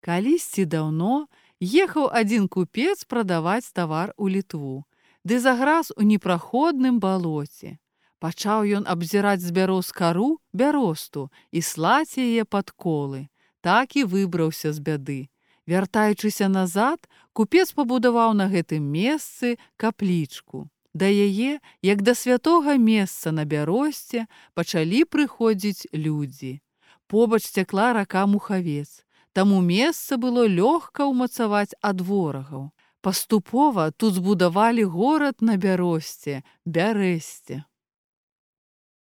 Калісьці даўно ехаў адзін купец прадаваць тавар у Літву, ды заграз у непраходным балоце. Пачаў ён абзіраць з бяроз кару бяросту і слаць яе пад колы. Так і выбраўся з бяды. Вяртаючыся назад, купец пабудаваў на гэтым месцы каплічку. Да яе, як да святога месца на бяросце, пачалі прыходзіць людзі. Побач цякла рака Мухавец. Таму месца было лёгка ўмацаваць ад ворагаў. Паступова тут збудавалі горад на бяросце, Бярэсце.